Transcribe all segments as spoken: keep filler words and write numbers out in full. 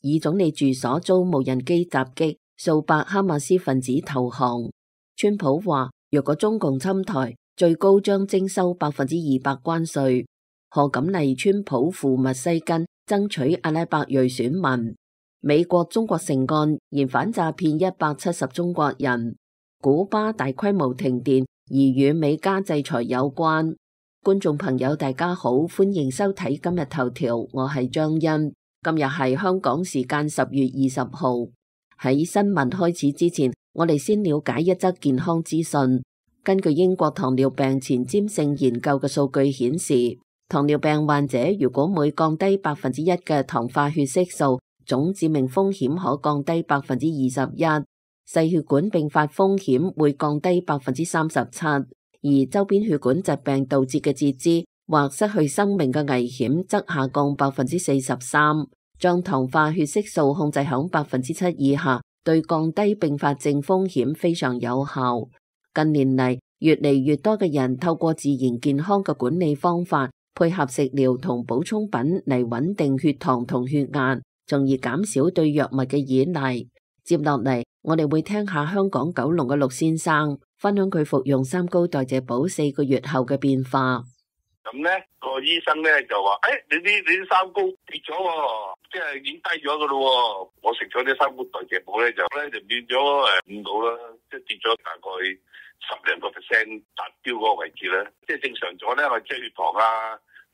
以總理住所遭無人機襲擊，數百哈馬斯分子投降。川普話，若果中共侵台，最高將徵收百分之二百關稅。賀錦麗川普赴密西根爭取阿拉伯裔選民。美國中國成案嫌反詐騙一百七十中國人。古巴大規模停電，而與美加制裁有關。觀眾朋友大家好，歡迎收睇今日頭條，我係張欣。今日係香港時間十月二十號。喺新聞開始之前，我哋先了解一則健康資訊。根據英國糖尿病前瞻性研究嘅數據顯示，糖尿病患者如果每降低百分之一嘅糖化血色素，總致命風險可降低百分之二十一，細血管併發風險會降低百分之三十七，而周邊血管疾病導致嘅截肢或失去生命嘅危險則下降百分之四十三。將糖化血色素控制響百分之七以下，對降低併發症風險非常有效。近年嚟，越嚟越多嘅人透過自然健康嘅管理方法，配合食療同補充品嚟穩定血糖同血壓，從而減少對藥物嘅依賴。接落嚟，我哋會聽下香港九龍嘅陸先生分享佢服用三高代謝寶四個月後嘅變化。咁咧，個醫生咧就話：，誒、哎，你啲你啲三高跌咗，即係已經低咗噶咯。我食咗啲三高代謝寶咧，就咧就變咗誒五度啦，即係跌咗大概十零個 percent 達標嗰個位置咧。即係正常咗咧，我即係血糖啊、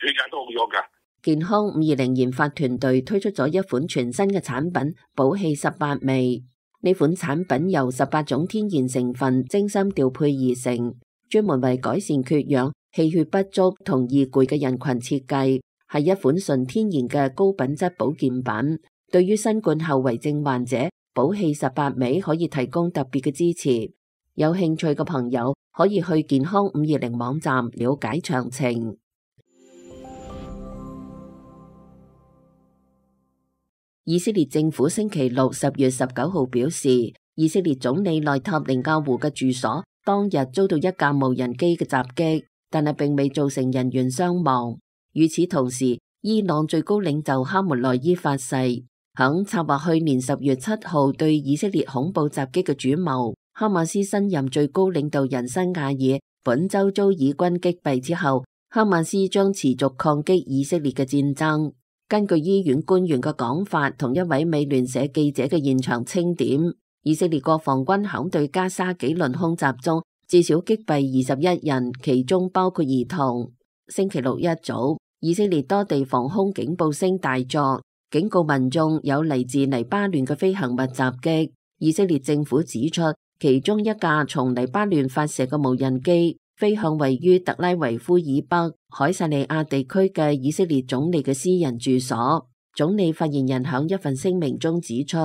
血壓都好咗噶。健康五二零研發團隊推出咗一款全新嘅產品寶氣十八味。呢款產品由十八種天然成分精心調配而成，專門為改善缺氧、氣血不足同易攰嘅人群設計，係一款純天然嘅高品質保健品。對於新冠後遺症患者，寶氣十八味可以提供特別嘅支持。有興趣嘅朋友可以去健康五二零網站了解詳情。以色列政府星期六十月十九號表示，以色列總理內塔尼亞胡嘅住所當日遭到一架無人機嘅襲擊，但係並未造成人員傷亡。與此同時，伊朗最高領袖哈梅內伊發誓，響策劃去年十月七號對以色列恐怖襲擊嘅主謀哈馬斯新任最高領導人辛瓦爾本周遭以軍擊斃之後，哈馬斯將持續抗擊以色列嘅戰爭。根據醫院官員嘅講法，同一位美聯社記者嘅現場清點，以色列國防軍響對加沙幾輪空襲中，至少擊斃二十一人，其中包括兒童。星期六一早，以色列多地防空警報聲大作，警告民眾有嚟自黎巴嫩嘅飛行物襲擊。以色列政府指出，其中一架從黎巴嫩發射嘅無人機飛向位於特拉維夫以北凱撒利亞地區嘅以色列總理嘅私人住所。總理發言人響一份聲明中指出，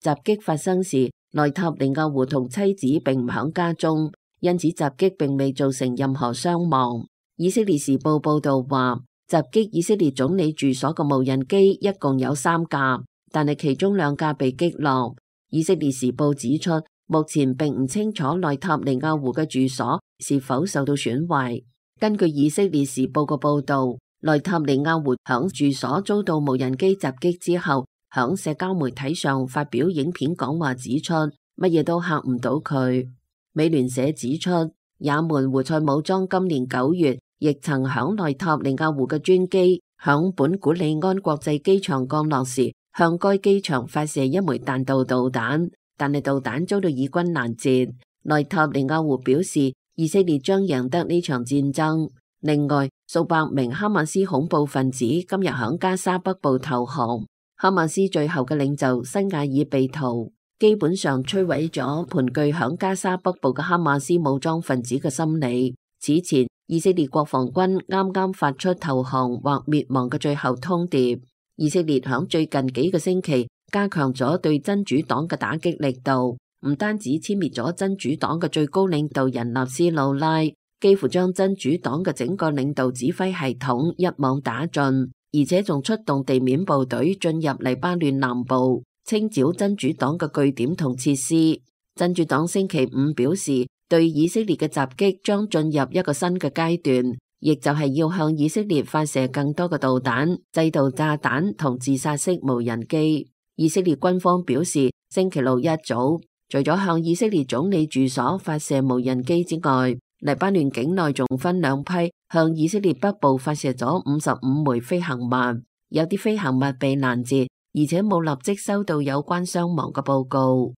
襲擊發生時，內塔尼亞胡同妻子並唔響家中，因此襲擊並未造成任何傷亡。以色列時報報道話，襲擊以色列總理住所嘅無人機一共有三架，但係其中兩架被擊落。以色列時報指出，目前並唔清楚內塔尼亞胡嘅住所是否受到損壞。根據以色列時報嘅報道，內塔尼亞胡響住所遭到無人機襲擊之後，響社交媒體上發表影片講話，指出乜嘢都嚇唔到佢。美聯社指出，也門胡塞武裝今年九月亦曾響內塔尼亞胡嘅專機響本古里安國際機場降落時，向該機場發射一枚彈道導彈。但係導彈遭到以軍攔截。內塔尼亞胡表示，以色列將贏得呢場戰爭。另外，數百名哈馬斯恐怖分子今日響加沙北部投降。哈馬斯最後嘅領袖辛瓦爾被屠，基本上摧毀咗盤踞響加沙北部嘅哈馬斯武裝分子嘅心理。此前，以色列國防軍啱啱發出投降或滅亡嘅最後通牒。以色列響最近幾個星期加強咗對真主黨嘅打擊力度，唔單止殲滅咗真主黨嘅最高領導人納斯魯拉，幾乎將真主黨嘅整個領導指揮系統一網打盡，而且仲出動地面部隊進入黎巴嫩南部，清剿真主黨嘅據點同設施。真主黨星期五表示，對以色列嘅襲擊將進入一個新嘅階段，亦就係要向以色列發射更多嘅導彈、制導炸彈同自殺式無人機。以色列軍方表示，星期六一早，除咗向以色列總理住所發射無人機之外，黎巴嫩境內仲分兩批向以色列北部發射咗五十五枚飛行物，有啲飛行物被攔截，而且冇立即收到有關傷亡嘅報告。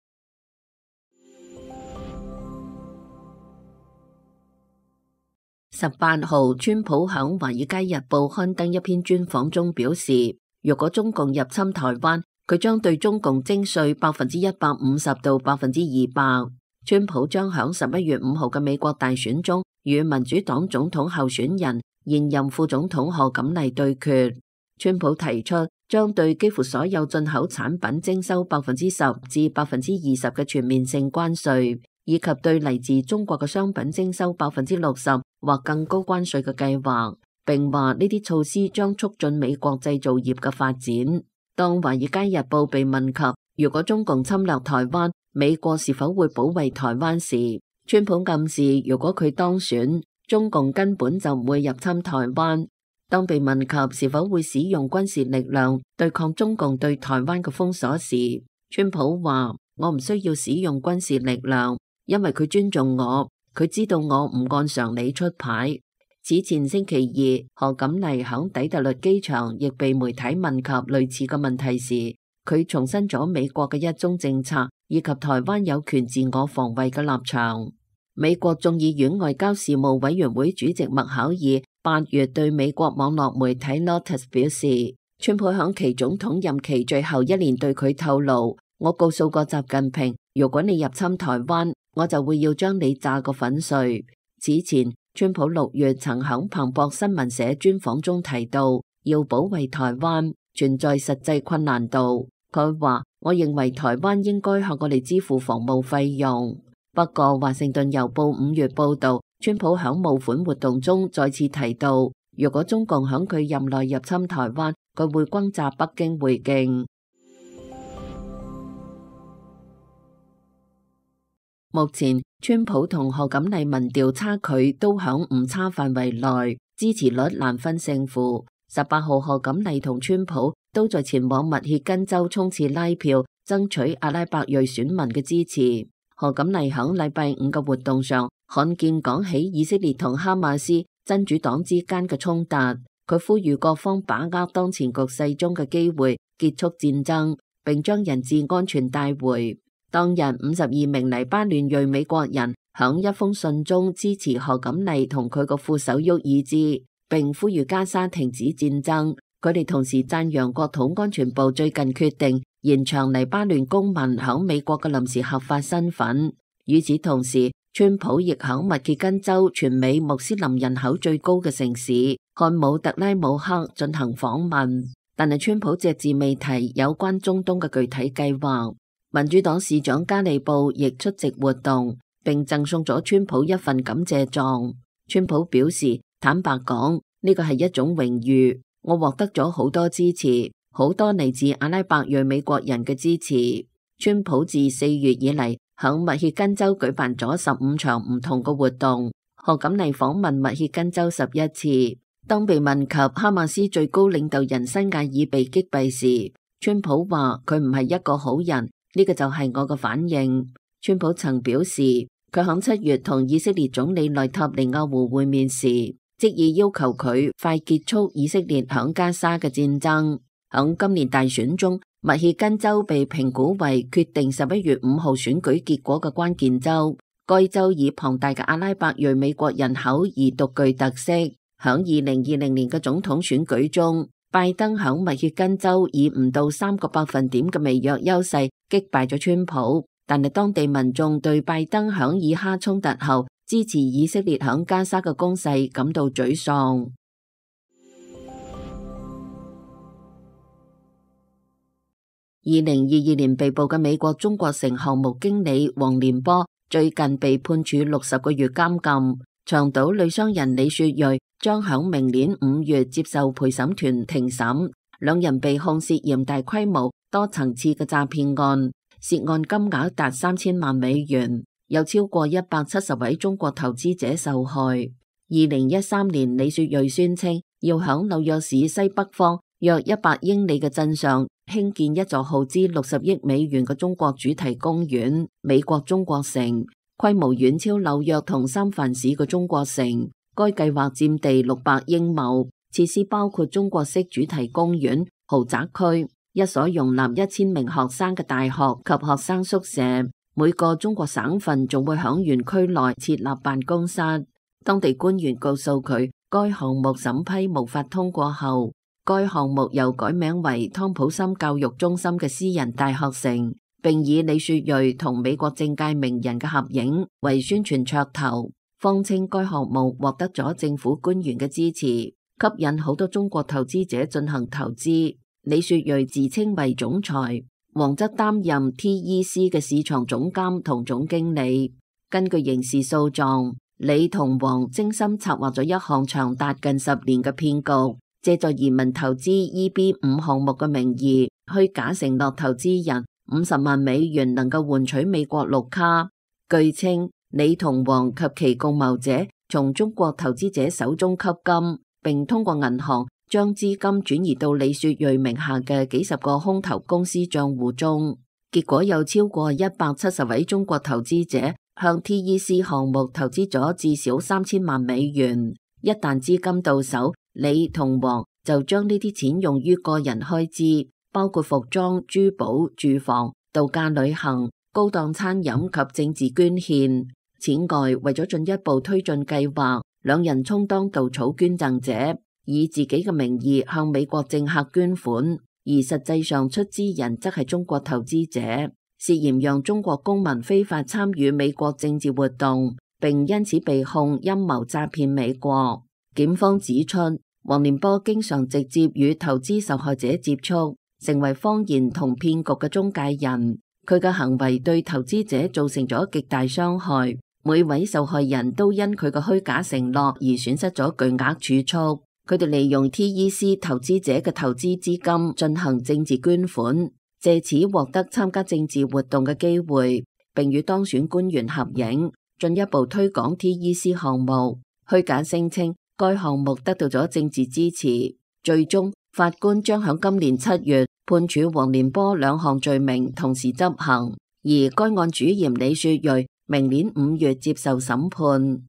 十八號，川普響《華爾街日報》刊登一篇專訪中表示，如果中共入侵台灣，佢將對中共徵稅百分之一百五十到百分之二百。川普將響十一月五號嘅美國大選中與民主黨總統候選人現任副總統賀錦麗對決。川普提出將對幾乎所有進口產品徵收百分之十至百分之二十嘅全面性關稅，以及對嚟自中國嘅商品徵收百分之六十或更高關稅嘅計劃，並話呢啲措施將促進美國製造業嘅發展。當《華爾街日報》被問及如果中共侵略台灣，美國是否會保衛台灣時，川普暗示如果佢當選，中共根本就唔會入侵台灣。當被問及是否會使用軍事力量對抗中共對台灣嘅封鎖時，川普話：我唔需要使用軍事力量，因為佢尊重我，佢知道我唔按常理出牌。此前星期二，賀錦麗響底特律機場亦被媒體問及類似嘅問題時，佢重申咗美國嘅一中政策以及台灣有權自我防衛嘅立場。美國眾議院外交事務委員會主席麥考爾八月對美國網絡媒體 Lotus 表示，川普響其總統任期最後一年對佢透露，我告訴過習近平，如果你入侵台灣，我就會要將你炸個粉碎。此前，川普六月曾響彭博新聞社專訪中提到，要保衛台灣存在實際困難度。佢話：我認為台灣應該向我哋支付防務費用。不過，華盛頓郵報五月報道，川普響募款活動中再次提到，如果中共響佢任內入侵台灣，佢會轟炸北京回敬。目前，川普同賀錦麗民調差距都響誤差範圍內，支持率難分勝負。十八號，賀錦麗同川普都在前往密歇根州衝刺拉票，爭取阿拉伯裔選民嘅支持。賀錦麗響禮拜五嘅活動上，罕見講起以色列同哈馬斯真主黨之間嘅衝突。佢呼籲各方把握當前局勢中嘅機會，結束戰爭，並將人質安全帶回。當日，五十二名黎巴嫩裔美國人響一封信中支持賀錦麗同佢個副手沃爾茲，並呼籲加沙停止戰爭。佢哋同時讚揚國土安全部最近決定延長黎巴嫩公民響美國嘅臨時合法身份。與此同時，川普亦響密歇根州全美穆斯林人口最高嘅城市漢姆特拉姆克進行訪問，但係川普隻字未提有關中東嘅具體計劃。民主黨市長加利布亦出席活動，並贈送咗川普一份感謝狀。川普表示，坦白講，呢個係一種榮譽，我獲得咗好多支持，好多嚟自阿拉伯裔美國人嘅支持。川普自四月以嚟響密歇根州舉辦咗十五場唔同嘅活動，賀錦麗訪問密歇根州十一次。當被問及哈馬斯最高領導人辛亞爾被擊斃時，川普話佢唔係一個好人。呢個就係我嘅反應。川普曾表示，佢響七月同以色列總理內塔尼亞胡會面時，即意要求佢快結束以色列響加沙嘅戰爭。響今年大選中，密歇根州被評估為決定十一月五號選舉結果嘅關鍵州。該州以龐大嘅阿拉伯裔美國人口而獨具特色。響二零二零年嘅總統選舉中，拜登響密歇根州以唔到三個百分點嘅微弱優勢擊敗咗川普，但係當地民眾對拜登響以哈衝突後支持以色列響加沙嘅攻勢感到沮喪。二零二二年被捕嘅美國中國城項目經理黃連波最近被判處六十個月監禁。長島女商人李雪芮將響明年五月接受陪審團庭審，兩人被控涉嫌大規模多層次嘅詐騙案，涉案金額達三千萬美元，有超過一百七十位中國投資者受害。二零一三年，李雪芮宣稱要響紐約市西北方約一百英里嘅鎮上興建一座耗資六十億美元嘅中國主題公園——美國中國城，規模遠超紐約同三藩市嘅中國城。該計劃佔地六百英畝，設施包括中國式主題公園、豪宅區、一所容納一千名學生嘅大學及學生宿舍。每個中國省份仲會響園區內設立辦公室。當地官員告訴佢，該項目審批無法通過後，該項目又改名為湯普森教育中心嘅私人大學城，並以李雪芮同美國政界名人嘅合影為宣傳噱頭，謊稱該項目獲得咗政府官員嘅支持，吸引好多中國投資者進行投資。李雪芮自稱為總裁，王則擔任 T E C 嘅市場總監同總經理。根據刑事訴狀，李同王精心策劃咗一項長達近十年嘅騙局，借助移民投資 E B 五項目嘅名義，虛假承諾投資人五十萬美元能夠換取美國綠卡。據稱，李同王及其共謀者從中國投資者手中吸金，並通過銀行將資金轉移到李雪芮名下嘅幾十個空頭公司賬戶中。結果有超過一百七十位中國投資者向 T E C 項目投資咗至少三千萬美元。一旦資金到手，李同王就將呢啲錢用於個人開支，包括服裝、珠寶、住房、度假旅行、高檔餐飲及政治捐獻。此外，為咗進一步推進計劃，兩人充當稻草捐贈者，以自己嘅名義向美國政客捐款，而實際上出資人則係中國投資者，涉嫌讓中國公民非法參與美國政治活動，並因此被控陰謀詐騙美國。檢方指出，黃連波經常直接與投資受害者接觸，成為謊言同騙局嘅中介人。佢嘅行為對投資者造成咗極大傷害，每位受害人都因佢嘅虛假承諾而損失咗巨額儲蓄。佢哋利用 T E C 投資者嘅投資資金進行政治捐款，借此獲得參加政治活動嘅機會，並與當選官員合影，進一步推廣 T E C 項目。虛假聲稱該項目得到咗政治支持。最終，法官將響今年七月判處黃連波兩項罪名同時執行，而該案主嫌李雪芮明年五月接受審判。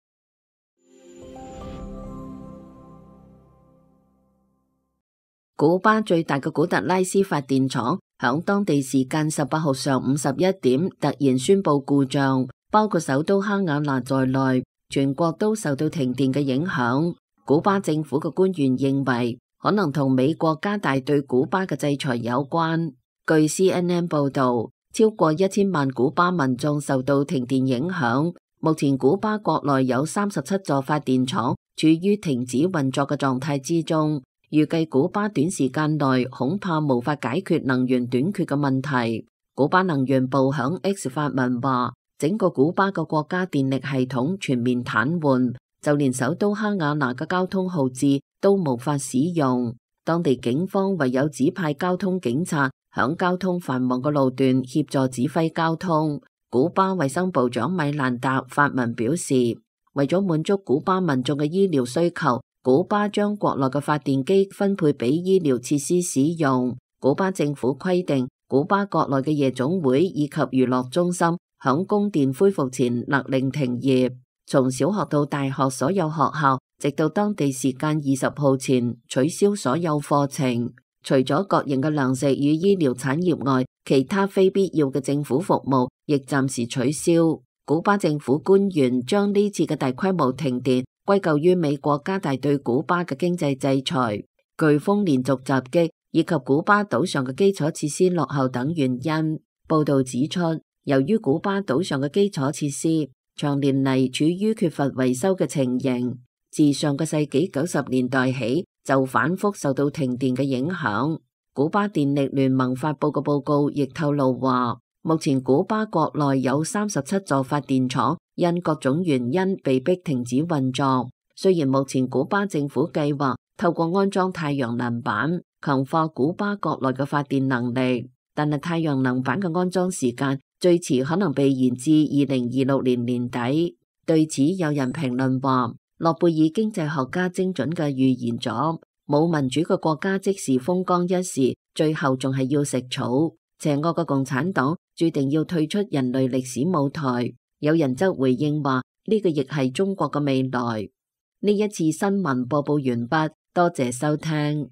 古巴最大嘅古特拉斯發電廠響當地時間十八號上午十一點突然宣布故障，包括首都哈瓦那在內，全國都受到停電嘅影響。古巴政府嘅官員認為，可能同美國加大對古巴嘅制裁有關。據 C N N 報道，超過一千萬古巴民眾受到停電影響。目前古巴國內有三十七座發電廠處於停止運作嘅狀態之中。預計古巴短時間內恐怕無法解決能源短缺嘅問題。古巴能源部響 X 發文話，整個古巴嘅國家電力系統全面癱瘓，就連首都哈瓦那嘅交通號誌都無法使用。當地警方唯有指派交通警察響交通繁忙嘅路段協助指揮交通。古巴衛生部長米蘭達發文表示，為咗滿足古巴民眾嘅醫療需求，古巴將國內嘅發電機分配俾醫療設施使用。古巴政府規定，古巴國內嘅夜總會以及娛樂中心響供電恢復前勒令停業。從小學到大學所有學校，直到當地時間二十號前取消所有課程。除咗國營嘅糧食與醫療產業外，其他非必要嘅政府服務亦暫時取消。古巴政府官員將呢次嘅大規模停電歸咎於美國加大對古巴嘅經濟制裁、颶風連續襲擊以及古巴島上嘅基礎設施落後等原因。報道指出，由於古巴島上嘅基礎設施長年嚟處於缺乏維修嘅情形，自上個世紀九十年代起就反覆受到停電嘅影響。古巴電力聯盟發佈嘅報告亦透露話，目前古巴國內有三十七座發電廠因各種原因被迫停止運作。雖然目前古巴政府計劃透過安裝太陽能板強化古巴國內嘅發電能力，但係太陽能板嘅安裝時間最遲可能被延至二零二六年年底。對此有人評論話，諾貝爾經濟學家精準嘅預言咗冇民主嘅國家即時風光一時，最後仲係要食草。邪惡嘅共產黨注定要退出人類歷史舞台。有人則回應話，呢個亦係中國嘅未來。呢一次新聞播報完畢，多謝收聽。